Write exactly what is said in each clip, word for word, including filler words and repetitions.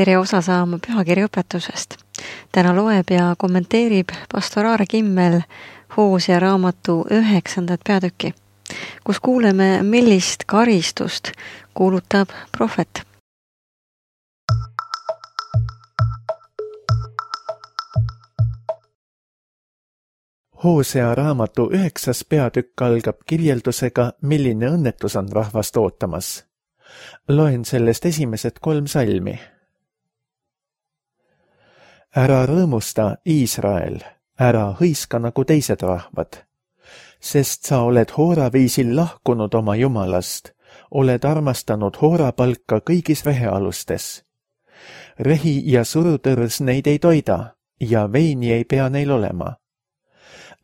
tere osa saama pühakirja õpetusest. Täna loeb ja kommenteerib pastor Aare Kimmel Hoosea raamatu üheksandat peatükki, kus kuuleme, millist karistust kuulutab prohvet. Hoosea raamatu üheksas peatükk algab kirjeldusega, milline õnnetus on rahvast ootamas. Loen sellest esimesed kolm salmi. Ära rõõmusta, Iisrael, ära hõiska nagu teised rahvad, sest sa oled hooraviisil lahkunud oma jumalast, oled armastanud hoorapalka kõigis rehealustes. Rehi ja surutõrs neid ei toida ja veini ei pea neil olema.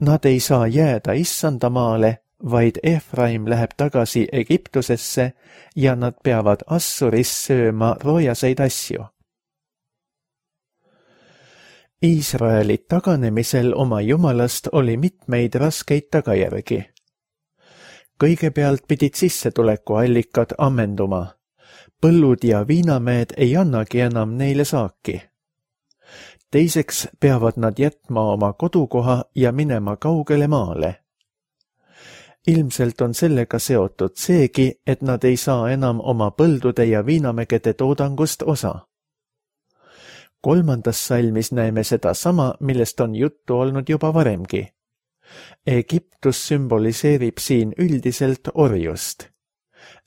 Nad ei saa jääda issanda maale, vaid Efraim läheb tagasi Egiptusesse ja nad peavad Assuris sööma roojaseid asju. Iisraeli taganemisel oma jumalast oli mitmeid raskeid tagajärgi. Kõigepealt pidid sissetulekuallikad ammenduma. Põllud ja viinamäed ei annagi enam neile saaki. Teiseks peavad nad jätma oma kodukoha ja minema kaugele maale. Ilmselt on sellega seotud seegi, et nad ei saa enam oma põldude ja viinamägede toodangust osa. Kolmandas salmis näeme seda sama, millest on juttu olnud juba varemgi. Egiptus sümboliseerib siin üldiselt orjust.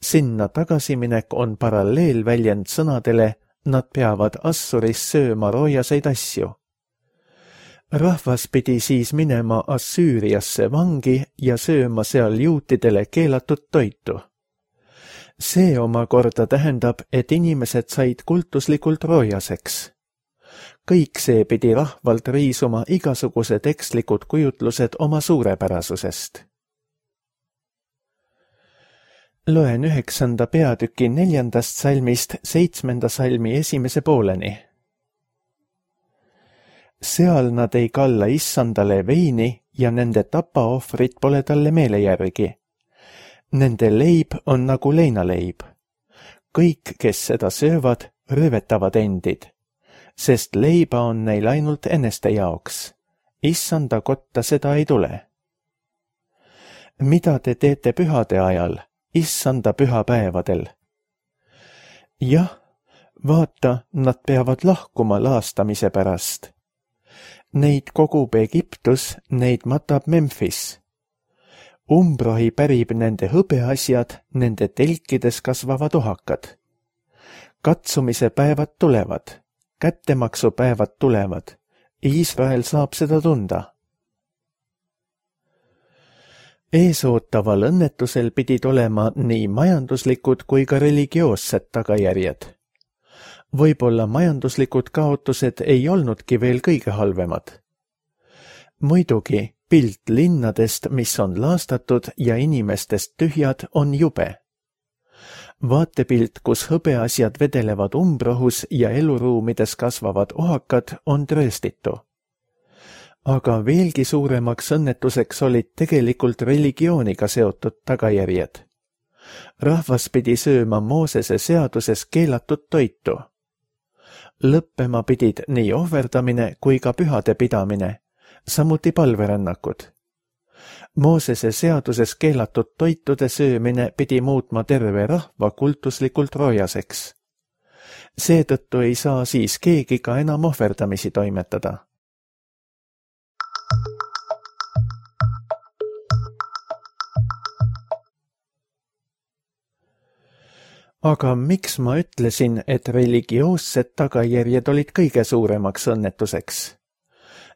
Sinna tagasiminek on paralleelväljend sõnadele, nad peavad Assuris sööma roojaseid asju. Rahvas pidi siis minema Assüüriasse vangi ja sööma seal juutidele keelatud toitu. See omakorda tähendab, et inimesed said kultuslikult roojaseks. Kõik see pidi rahvalt riisuma igasugused ekslikud kujutlused oma suurepärasusest. Loen üheksanda peatüki neljandast salmist seitsmenda salmi esimese pooleni. Seal nad ei kalla issandale veini ja nende tapaohvrid pole talle meele järgi. Nende leib on nagu leinaleib. Kõik, kes seda söövad, röövetavad endid, sest leiba on neil ainult eneste jaoks. Issanda kotta seda ei tule. Mida te teete pühade ajal, issanda pühapäevadel? Jah, vaata, nad peavad lahkuma laastamise pärast. Neid kogub Egiptus, neid matab Memphis. Umbrohi pärib nende hõbeasjad, nende telkides kasvavad ohakad. Katsumise päevad tulevad, kättemaksu päevad tulevad. Iisrael saab seda tunda. Eesootaval õnnetusel pidid olema nii majanduslikud kui ka religioossed tagajärjed. Võib-olla majanduslikud kaotused ei olnudki veel kõige halvemad. Muidugi, pilt linnadest, mis on laastatud ja inimestest tühjad, on jube. Vaatepilt, kus hõbeasjad vedelevad umbrohus ja eluruumides kasvavad ohakad, on trööstitu. Aga veelgi suuremaks õnnetuseks olid tegelikult religiooniga seotud tagajärjed. Rahvas pidi sööma Moosese seaduses keelatud toitu. Lõppema pidid nii ohverdamine kui ka pühade pidamine, samuti palverännakud. Moosese seaduses keelatud toitude söömine pidi muutma terve rahva kultuslikult roojaseks. Seetõttu ei saa siis keegi ka enam ohverdamisi toimetada. Aga miks ma ütlesin, et religioossed tagajärjed olid kõige suuremaks õnnetuseks?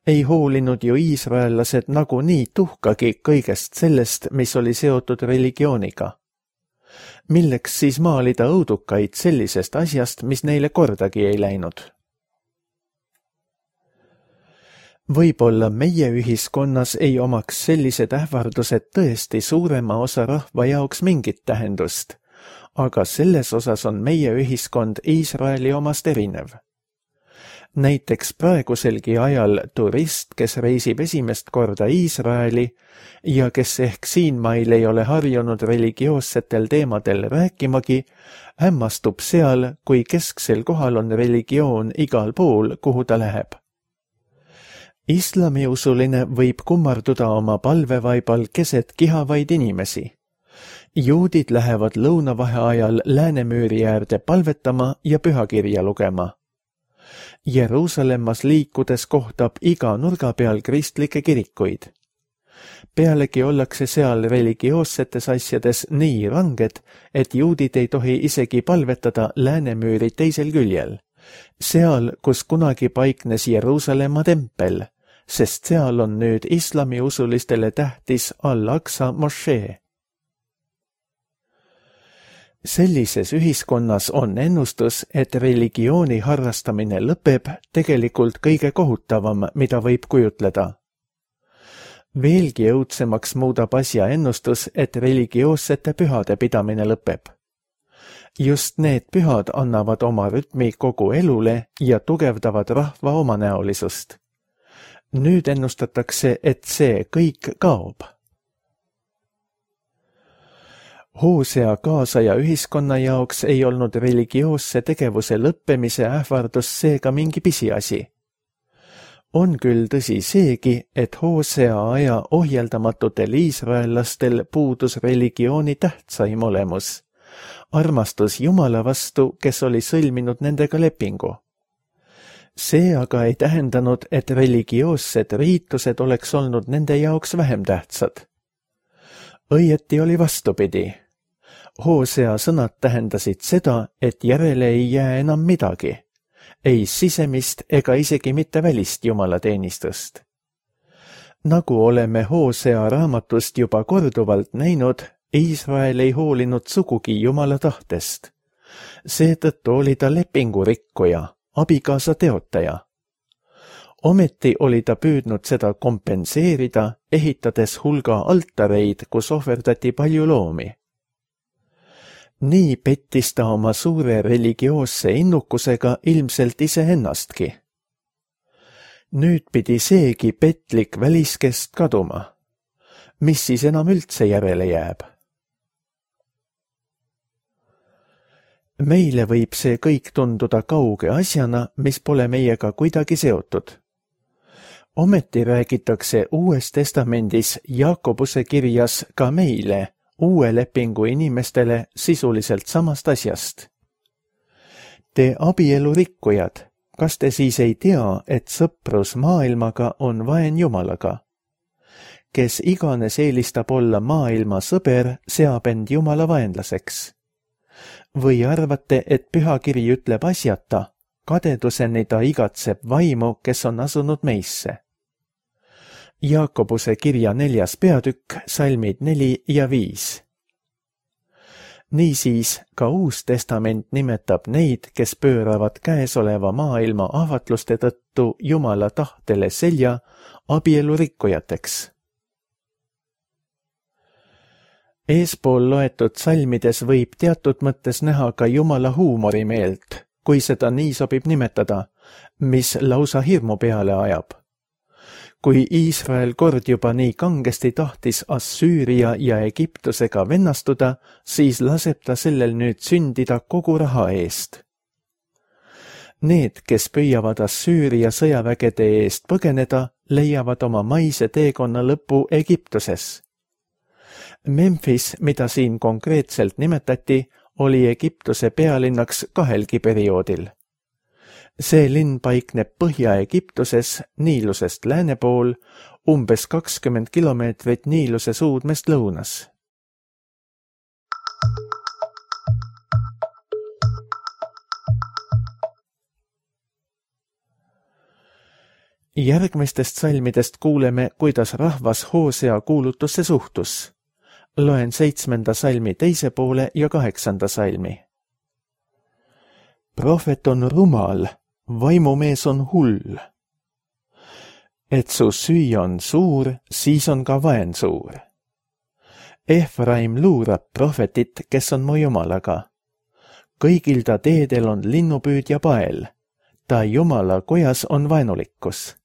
Ei hoolinud ju iisraellased nagunii tuhkagi kõigest sellest, mis oli seotud religiooniga. Milleks siis maalida õudukaid sellisest asjast, mis neile kordagi ei läinud? Võib-olla meie ühiskonnas ei omaks sellised ähvardused tõesti suurema osa rahva jaoks mingit tähendust, aga selles osas on meie ühiskond Iisraeli omast erinev. Näiteks praeguselgi ajal turist, kes reisib esimest korda Iisraeli ja kes ehk siinmail ei ole harjunud religioossetel teemadel rääkimagi, hämmastub seal, kui kesksel kohal on religioon igal pool, kuhu ta läheb. Islamiusuline võib kummarduda oma palvevaibal keset kihavaid inimesi. Juudid lähevad lõunavaheajal Läänemüüri äärde palvetama ja pühakirja lugema. Jeruusalemmas liikudes kohtab iga nurga peal kristlikke kirikuid. Pealegi ollakse seal religioossetes asjades nii ranged, et juudid ei tohi isegi palvetada Läänemüüri teisel küljel, seal, kus kunagi paiknes Jeruusalemma tempel, sest seal on nüüd islamiusulistele tähtis Al-Aqsa mošee. Sellises ühiskonnas on ennustus, et religiooni harrastamine lõpeb tegelikult kõige kohutavam, mida võib kujutleda. Veelgi õudsemaks muudab asja ennustus, et religioossete pühade pidamine lõpeb. Just need pühad annavad oma rütmi kogu elule ja tugevdavad rahva omanäolisust. Nüüd ennustatakse, et see kõik kaob. Hoosea kaasaja ühiskonna jaoks ei olnud religioosse tegevuse lõppemise ähvardus seega mingi pisiasi. On küll tõsi seegi, et Hoosea aja ohjeldamatutel iisraellastel puudus religiooni tähtsaim olemus, armastus Jumala vastu, kes oli sõlminud nendega lepingu. See aga ei tähendanud, et religioossed riitused oleks olnud nende jaoks vähem tähtsad. Õieti oli vastupidi. Hoosea sõnad tähendasid seda, et järele ei jää enam midagi, ei sisemist ega isegi mitte välist jumalateenistust. Nagu oleme Hoosea raamatust juba korduvalt näinud, Iisrael ei hoolinud sugugi Jumala tahtest. Seetõttu oli ta lepingurikkuja, abikaasa teotaja. Ometi oli ta püüdnud seda kompenseerida, ehitades hulga altareid, kus ohverdati palju loomi. Nii pettis ta oma suure religioosse innukusega ilmselt iseennastki. Nüüd pidi seegi petlik väliskest kaduma. Mis siis enam üldse järele jääb? Meile võib see kõik tunduda kauge asjana, mis pole meiega kuidagi seotud. Ometi räägitakse Uues Testamendis Jaakobuse kirjas ka meile, uue lepingu inimestele sisuliselt samast asjast. Te abielurikkujad, kas te siis ei tea, et sõprus maailmaga on vaen Jumalaga? Kes iganes eelistab olla maailma sõber, seab end Jumala vaenlaseks. Või arvate, et pühakiri ütleb asjata, kadeduseni ta igatseb vaimu, kes on asunud meisse? Jaakobuse kirja neljas peatükk, salmid neli ja viis. Niisiis, ka Uus Testament nimetab neid, kes pööravad käesoleva maailma ahvatluste tõttu Jumala tahtele selja, abielurikkujateks. Eespool loetud salmides võib teatud mõttes näha ka Jumala huumorimeelt, kui seda nii sobib nimetada, mis lausa hirmu peale ajab. Kui Iisrael kord juba nii kangesti tahtis Assüüria ja Egiptusega vennastuda, siis laseb ta sellel nüüd sündida kogu raha eest. Need, kes püüavad Assüüria sõjavägede eest põgeneda, leiavad oma maise teekonna lõpu Egiptuses. Memphis, mida siin konkreetselt nimetati, oli Egiptuse pealinnaks kahelgi perioodil. See linn paikneb Põhja-Egiptuses, Niilusest lääne pool, umbes kakskümmend kilomeetrit Niiluse suudmest lõunas. Järgmistest salmidest kuuleme, kuidas rahvas Hoosea kuulutusse suhtus. Loen seitsmenda salmi teise poole ja kaheksanda salmi. Prohvet on rumal, vaimumees on hull. Et su süü on suur, siis on ka vaen suur. Efraim luurab prohvetit, kes on mu Jumalaga. Kõigil ta teedel on linnupüüdja pael. võtta Jumala kojas on vaenulikkus.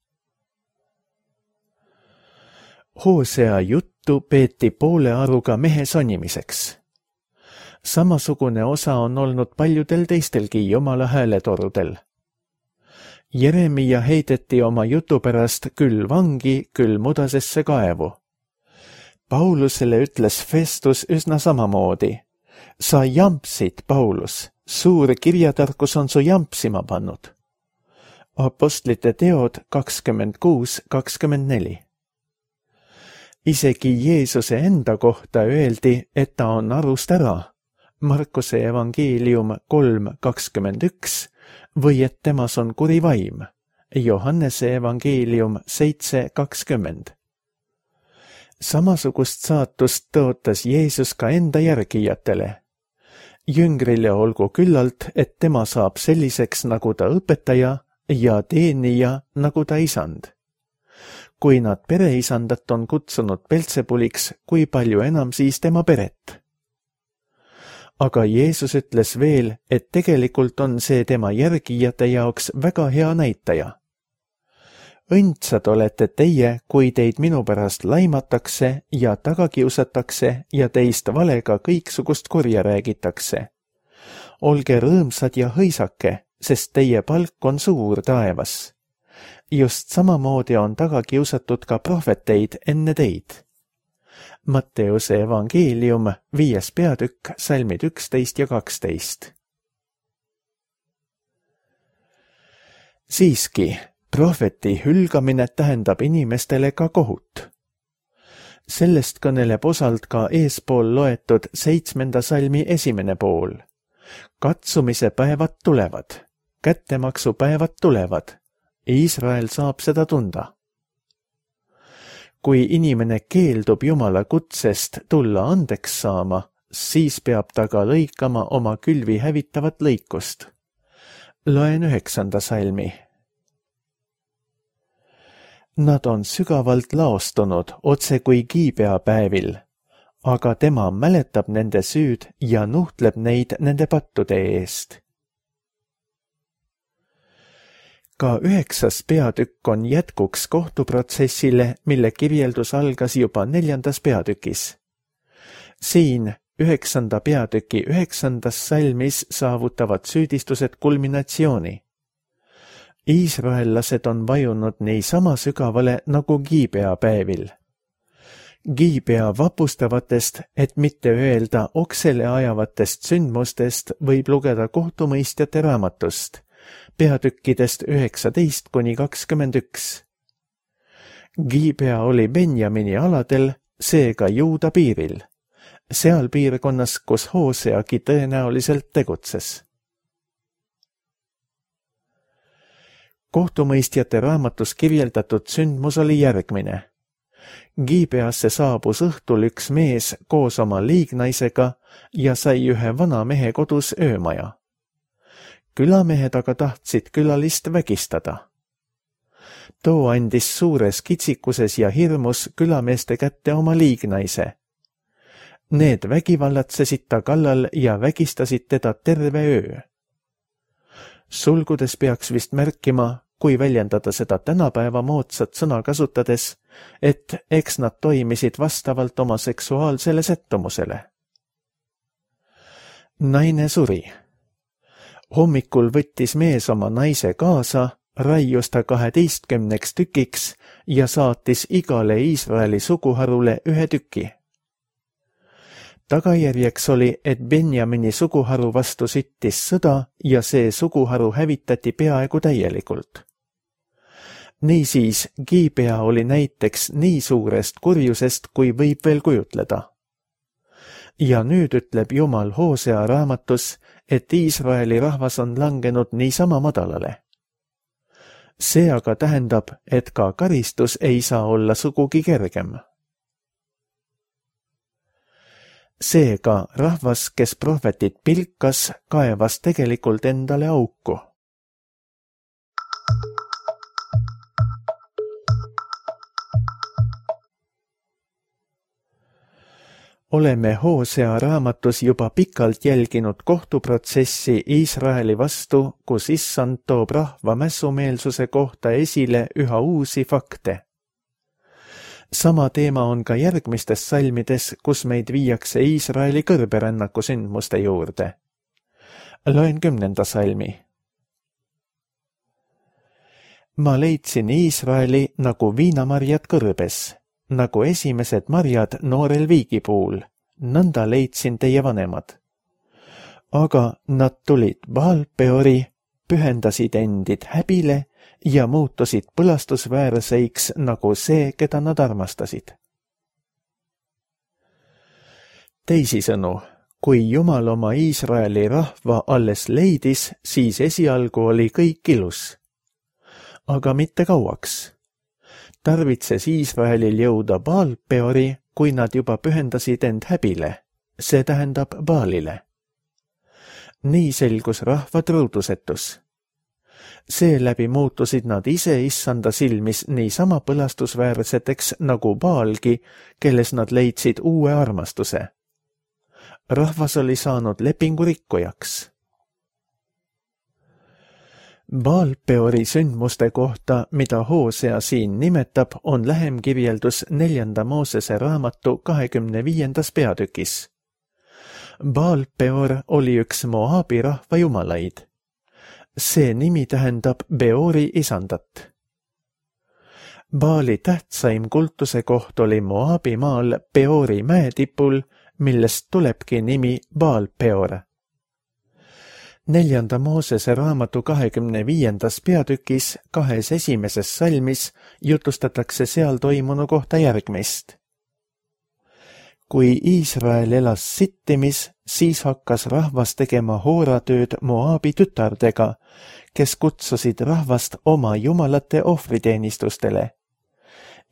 Hoosea juttu peeti poole aruga mehe sonimiseks. Samasugune osa on olnud paljudel teistelgi Jumala hääletorudel. Jeremia heideti oma jutu pärast küll vangi, küll mudasesse kaevu. Paulusele ütles Festus üsna samamoodi. Sa jampsid, Paulus, suur kirjatarkus on su jampsima pannud. Apostlite teod kakskümmend kuus kakskümmend neli. Isegi Jeesuse enda kohta öeldi, et ta on arust ära. Markuse evangeelium kolm kakskümmend üks või et temas on kuri vaim. Johannese evangeelium seitse kakskümmend. Samasugust saatust tõotas Jeesus ka enda järgijatele. Jüngrile olgu küllalt, et tema saab selliseks nagu ta õpetaja ja teenija nagu ta isand. Kui nad pereisandat on kutsunud Beltsebuliks, kui palju enam siis tema peret? Aga Jeesus ütles veel, et tegelikult on see tema järgijate jaoks väga hea näitaja. Õndsad olete teie, kui teid minu pärast laimatakse ja tagakiusatakse ja teist valega kõiksugust kurja räägitakse. Olge rõõmsad ja hõisake, sest teie palk on suur taevas. Just samamoodi on tagakiusatud ka prohveteid enne teid. Matteuse evangeelium, viies peatükk, salmid üksteist ja kaksteist. Siiski, prohveti hülgamine tähendab inimestele ka kohut. Sellest kõneleb osalt ka eespool loetud seitsmenda salmi esimene pool. Katsumise päevad tulevad, kättemaksu päevad tulevad. Iisrael saab seda tunda. Kui inimene keeldub Jumala kutsest tulla andeks saama, siis peab ta ka lõikama oma külvi hävitavat lõikust. Loen üheksanda salmi. Nad on sügavalt laostunud otse kui kiibea päevil, aga tema mäletab nende süüd ja nuhtleb neid nende pattude eest. Ka üheksas peatükk on jätkuks kohtuprotsessile, mille kirjeldus algas juba neljandas peatükis. Siin üheksanda peatüki üheksandas salmis saavutavad süüdistused kulminatsiooni. Iisraellased on vajunud nii sama sügavale nagu Giibea päevil. Giibea vapustavatest, et mitte öelda oksele ajavatest sündmustest, võib lugeda kohtumõistjate raamatust, peatükkidest üheksateist kuni kakskümmend üks. Giibea oli Benjamini aladel, seega Juuda piiril, seal piirkonnas, kus Hooseagi tõenäoliselt tegutses. Kohtumõistjate raamatus kirjeldatud sündmus oli järgmine. Giibeasse saabus õhtul üks mees koos oma liignaisega ja sai ühe vana mehe kodus öömaja. Külamehed aga tahtsid külalist vägistada. Too andis suures kitsikuses ja hirmus külameeste kätte oma liignaise. Need vägivallatsesid ta kallal ja vägistasid teda terve öö. Sulgudes peaks vist märkima, kui väljendada seda tänapäeva moodsat sõna kasutades, et eks nad toimisid vastavalt oma seksuaalsele sättumusele. Naine suri. Hommikul võttis mees oma naise kaasa, raius ta kaheteistkümneks tükiks ja saatis igale Iisraeli suguharule ühe tüki. Tagajärjeks oli, et Benjamini suguharu vastu süttis sõda ja see suguharu hävitati peaaegu täielikult. Niisiis, Giibea oli näiteks nii suurest kurjusest, kui võib veel kujutleda. Ja nüüd ütleb Jumal Hoosea raamatus, et Iisraeli rahvas on langenud niisama madalale. See aga tähendab, et ka karistus ei saa olla sugugi kergem. Seega rahvas, kes prohvetit pilkas, kaevas tegelikult endale auku. oleme Hoosea raamatus juba pikalt jälginud kohtuprotsessi Iisraeli vastu, kus issand toob rahva mässumeelsuse kohta esile üha uusi fakte. Sama teema on ka järgmistes salmides, kus meid viiakse Iisraeli kõrberännaku sündmuste juurde. Loen kümnenda salmi. Ma leidsin Iisraeli nagu viinamarjad kõrbes, nagu esimesed marjad noorel viigipuul, nõnda leidsin teie vanemad. Aga nad tulid Baal-Peori, pühendasid endid häbile ja muutusid põlastusväärseiks nagu see, keda nad armastasid. Teisisõnu, kui Jumal oma Iisraeli rahva alles leidis, siis esialgu oli kõik ilus. Aga mitte kauaks. Tarvitses Iisraelil jõuda Baal-Peori, kui nad juba pühendasid end häbile, see tähendab Baalile. Nii selgus rahva truudusetus. Seeläbi muutusid nad ise issanda silmis niisama põlastusväärseteks nagu Baalgi, kelles nad leidsid uue armastuse. Rahvas oli saanud lepingu rikkujaks. Baal-Peori sündmuste kohta, mida Hoosea siin nimetab, on lähem kirjeldus neljanda Moosese raamatu kahekümne viiendas peatükis. Baal-Peor oli üks Moabi rahva jumalaid. See nimi tähendab Beori isandat. Baali tähtsaim kultuse koht oli Moabi maal Beori mäetipul, millest tulebki nimi Baal-Peor. Neljanda Moosese raamatu kahekümne viiendas peatükis kahes esimeses salmis jutustatakse seal toimunu kohta järgmist. Kui Iisrael elas Sittimis, siis hakkas rahvas tegema hooratööd Moabi tütardega, kes kutsusid rahvast oma jumalate ohvriteenistustele.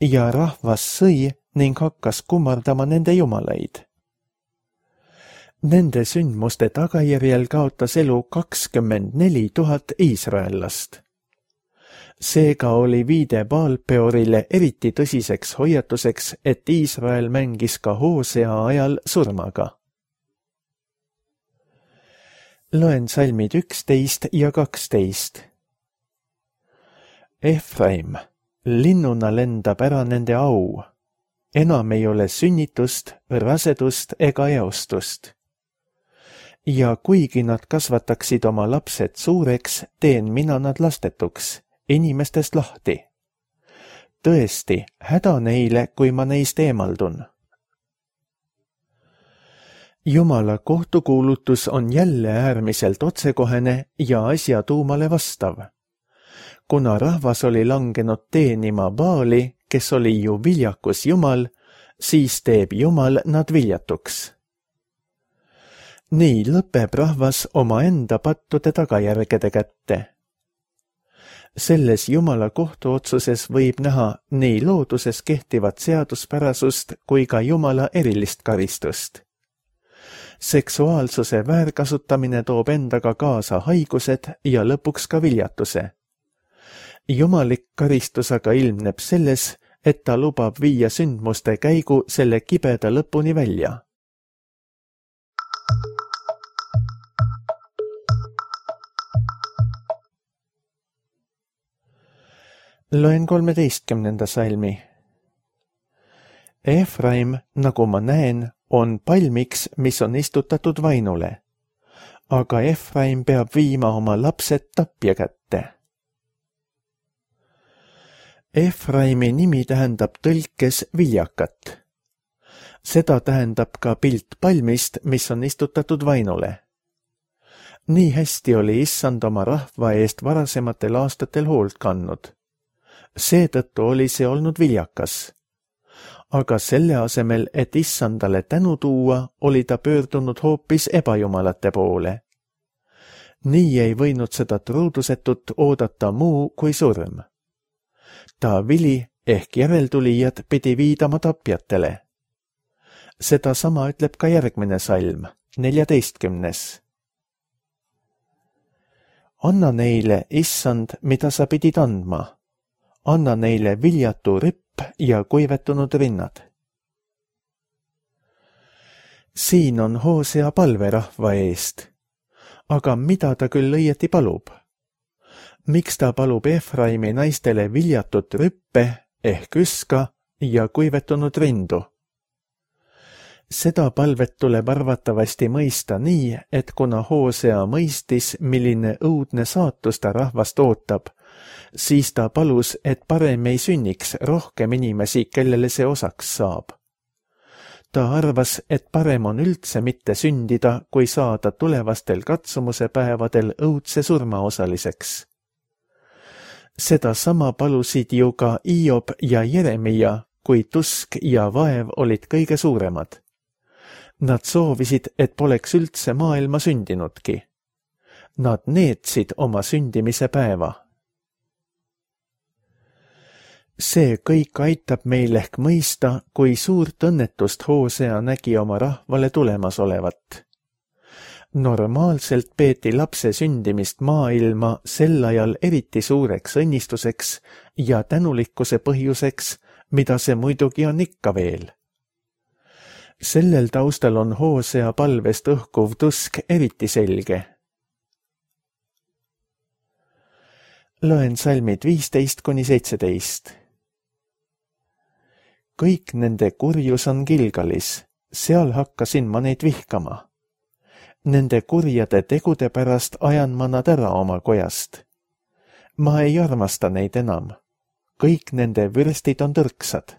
Ja rahvas sõi ning hakkas kummardama nende jumalaid. Nende sündmuste tagajärjel kaotas elu kakskümmend neli tuhat iisraellast. Seega oli viide Baal-Peorile eriti tõsiseks hoiatuseks, et Iisrael mängis ka Hoosea ajal surmaga. Loen salmid üksteist ja kaksteist. Efraim, linnuna lendab ära nende au. Enam ei ole sünnitust, rasedust ega eostust. Ja kuigi nad kasvataksid oma lapsed suureks, teen mina nad lastetuks, inimestest lahti. Tõesti, häda neile, kui ma neist eemaldun. Jumala kohtukuulutus on jälle äärmiselt otsekohene ja asja tuumale vastav. Kuna rahvas oli langenud teenima Baali, kes oli ju viljakus Jumal, siis teeb Jumal nad viljatuks. Nii lõpeb rahvas oma enda pattude tagajärgede kätte. Selles Jumala kohtuotsuses võib näha nii looduses kehtivat seaduspärasust kui ka Jumala erilist karistust. Seksuaalsuse väärkasutamine toob endaga kaasa haigused ja lõpuks ka viljatuse. Jumalik karistus aga ilmneb selles, et ta lubab viia sündmuste käigu selle kibeda lõpuni välja. Loen kolmeteistkümnenda salmi. Efraim, nagu ma näen, on palmiks, mis on istutatud vainule. Aga Efraim peab viima oma lapsed tapja kätte. Efraimi nimi tähendab tõlkes viljakat. Seda tähendab ka pilt palmist, mis on istutatud vainule. Nii hästi oli issand oma rahva eest varasematel aastatel hoolt kandnud. Seetõttu oli see olnud viljakas. Aga selle asemel, et issandale tänu tuua, oli ta pöördunud hoopis ebajumalate poole. Nii ei võinud seda truudusetut oodata muu kui surm. Ta vili ehk järeltulijad pidi viidama tapjatele. Seda sama ütleb ka järgmine salm, neljateistkümnes. Anna neile, issand, mida sa pidid andma. Anna neile viljatu ripp ja kuivetunud rinnad. siin on Hoosea palve rahva eest. Aga mida ta küll õieti palub? Miks ta palub Efraimi naistele viljatut rüppe ehk üska ja kuivetunud rindu? Seda palvet tuleb arvatavasti mõista nii, et kuna Hoosea mõistis, milline õudne saatus ta rahvast ootab, siis ta palus, et parem ei sünniks rohkem inimesi, kellele see osaks saab. Ta arvas, et parem on üldse mitte sündida, kui saada tulevastel katsumuse päevadel õudse surma osaliseks. Seda sama palusid ju ka Hiob ja Jeremia, kui tusk ja vaev olid kõige suuremad. Nad soovisid, et poleks üldse maailma sündinudki. Nad neetsid oma sündimise päeva. See kõik aitab meil ehk mõista, kui suurt õnnetust Hoosea nägi oma rahvale tulemas olevat. Normaalselt peeti lapse sündimist maailma sel ajal eriti suureks õnnistuseks ja tänulikkuse põhjuseks, mida see muidugi on ikka veel. Sellel taustal on Hoosea palvest õhkuv tusk eriti selge. Loen salmid viisteist kuni seitseteist. Kõik nende kurjus on Gilgalis, seal hakkasin ma neid vihkama. Nende kurjade tegude pärast ajan ma nad ära oma kojast. Ma ei armasta neid enam. Kõik nende vürstid on tõrksad.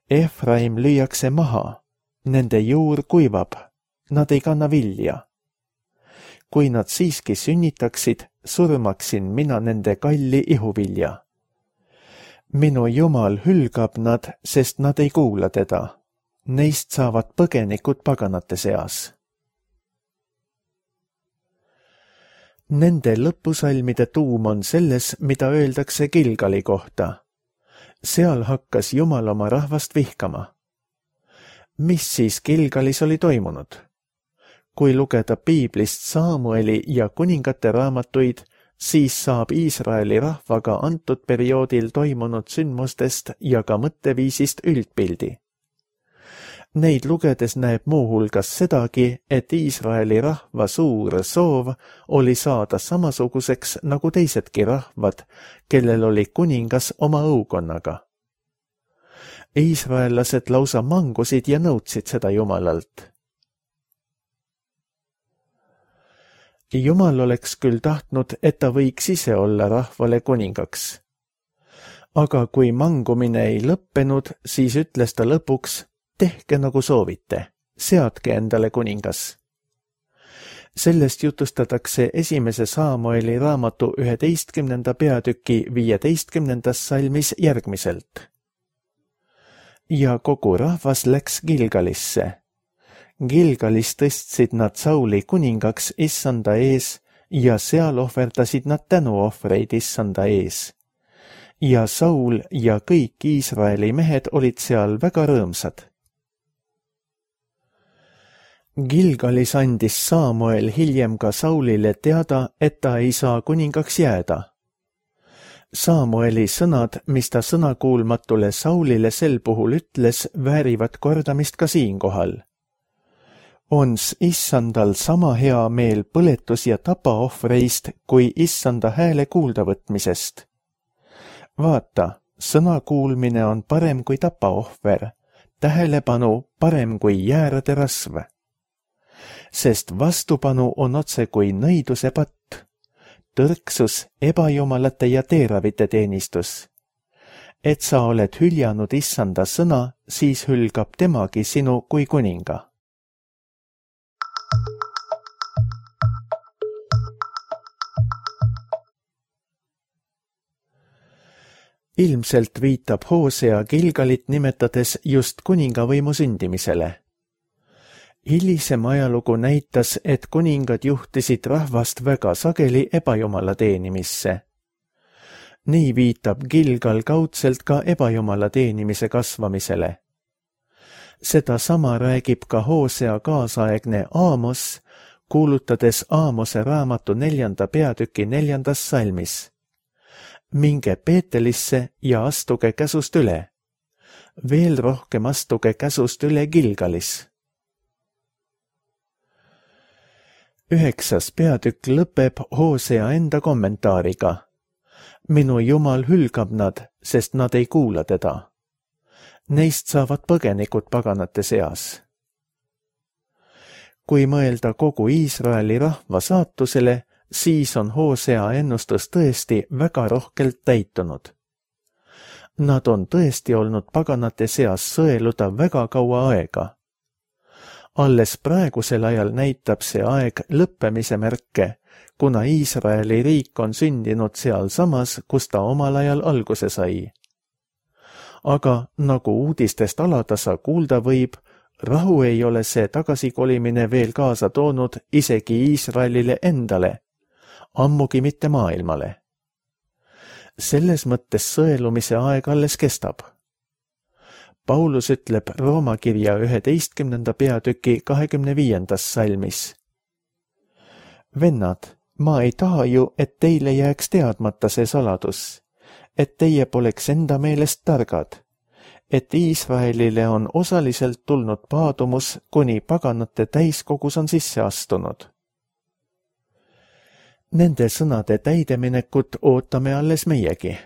Efraim lüüakse maha, nende juur kuivab, nad ei kanna vilja. Kui nad siiski sünnitaksid, surmaksin mina nende kalli ihuvilja. Minu Jumal hülgab nad, sest nad ei kuula teda. Neist saavad põgenikud paganate seas. Nende lõpusalmide tuum on selles, mida öeldakse Gilgali kohta. Seal hakkas Jumal oma rahvast vihkama. Mis siis Gilgalis oli toimunud? Kui lugeda piiblist Saamueli ja kuningate raamatuid, siis saab Iisraeli rahvaga antud perioodil toimunud sündmustest ja ka mõtteviisist üldpildi. Neid lugedes näeb muuhulgas sedagi, et Iisraeli rahva suur soov oli saada samasuguseks nagu teisedki rahvad, kellel oli kuningas oma õukonnaga. Iisraellased lausa mangusid ja nõudsid seda Jumalalt. Jumal oleks küll tahtnud, et ta võiks ise olla rahvale kuningaks. Aga kui mangumine ei lõppenud, siis ütles ta lõpuks, tehke nagu soovite, seadke endale kuningas. Sellest jutustatakse esimese Saamueli raamatu üheteistkümnenda peatüki viieteistkümnendas salmis järgmiselt. Ja kogu rahvas läks Gilgalisse. Gilgalis tõstsid nad Sauli kuningaks issanda ees ja seal ohverdasid nad tänuohvreid issanda ees. Ja Saul ja kõik Iisraeli mehed olid seal väga rõõmsad. Gilgalis andis Saamuel hiljem ka Saulile teada, et ta ei saa kuningaks jääda. Saamueli sõnad, mis ta sõnakuulmatule Saulile sel puhul ütles, väärivad kordamist ka siinkohal. Ons issandal sama hea meel põletus- ja tapaohvreist kui issanda hääle kuuldavõtmisest. Vaata, sõna kuulmine on parem kui tapaohver, tähelepanu parem kui jäärade rasv. Sest vastupanu on otse kui nõiduse patt, tõrksus ebajumalate ja teeravite teenistus. Et sa oled hüljanud issanda sõna, siis hülgab temagi sinu kui kuninga. Ilmselt viitab Hoosea Gilgalit nimetades just kuningavõimu sündimisele. Hilisem ajalugu näitas, et kuningad juhtisid rahvast väga sageli ebajumala teenimisse. Nii viitab Gilgal kaudselt ka ebajumala teenimise kasvamisele. Seda sama räägib ka Hoosea kaasaegne Aamos, kuulutades Aamose raamatu neljanda peatüki neljandas salmis. Minge Peetelisse ja astuge käsust üle. Veel rohkem astuge käsust üle Gilgalis. üheksas peatükk lõpeb Hosea enda kommentaariga. Minu Jumal hülgab nad, sest nad ei kuula teda. Neist saavad põgenikud paganate seas. Kui mõelda kogu Iisraeli rahva saatusele, siis on Hosea ennustus tõesti väga rohkelt täitunud. Nad on tõesti olnud paganate seas sõeluda väga kaua aega. Alles praegusel ajal näitab see aeg lõppemise märke, kuna Iisraeli riik on sündinud sealsamas, kus ta omal ajal alguse sai. Aga nagu uudistest alatasa kuulda võib, rahu ei ole see tagasikolimine veel kaasa toonud isegi Iisraelile endale, ammugi mitte maailmale. Selles mõttes sõelumise aeg alles kestab. Paulus ütleb Rooma kirja üheteistkümnenda peatüki kahekümne viiendas salmis. Vennad, ma ei taha ju, et teile jääks teadmata see saladus, et teie poleks enda meelest targad, et Iisraelile on osaliselt tulnud paadumus, kuni paganate täiskogus on sisse astunud. Nende sõnade täideminekut ootame alles meiegi.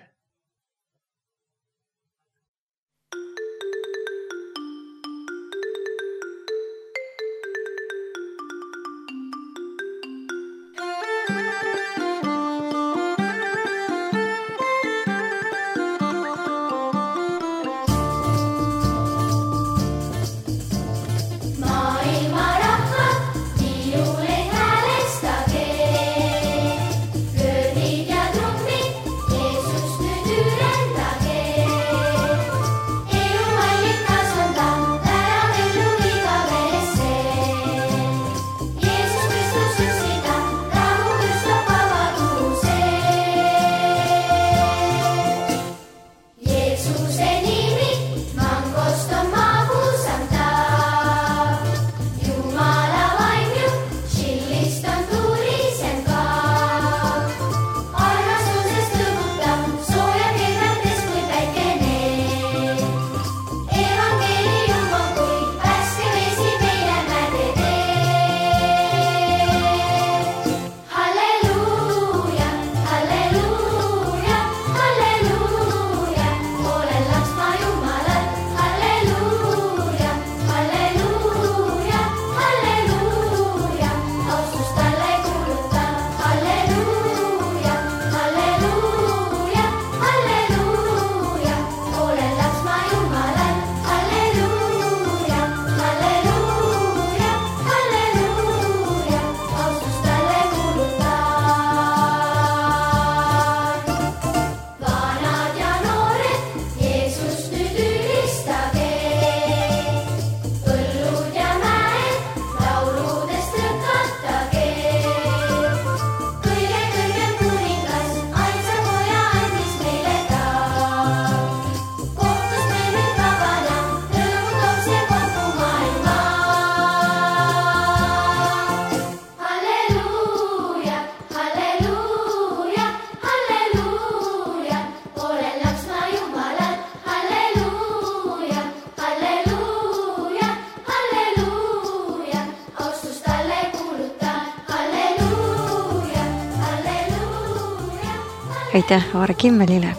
Aitäh Aare Kimmelile.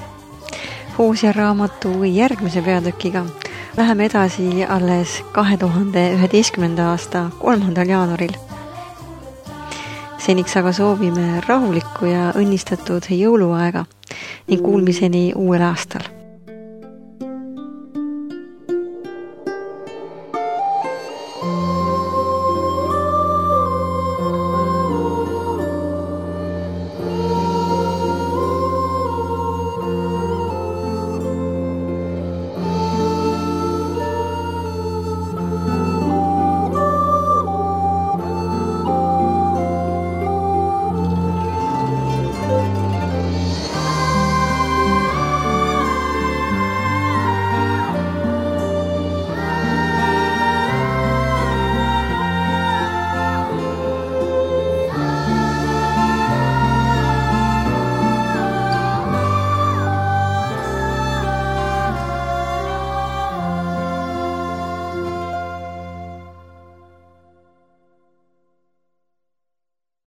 Hosea raamatu järgmise peatükiga läheme edasi alles kahe tuhande üheteistkümnenda aasta kolmandal jaanuaril. Seniks aga soovime rahulikku ja õnnistatud jõuluaega ning kuulmiseni uuel aastal.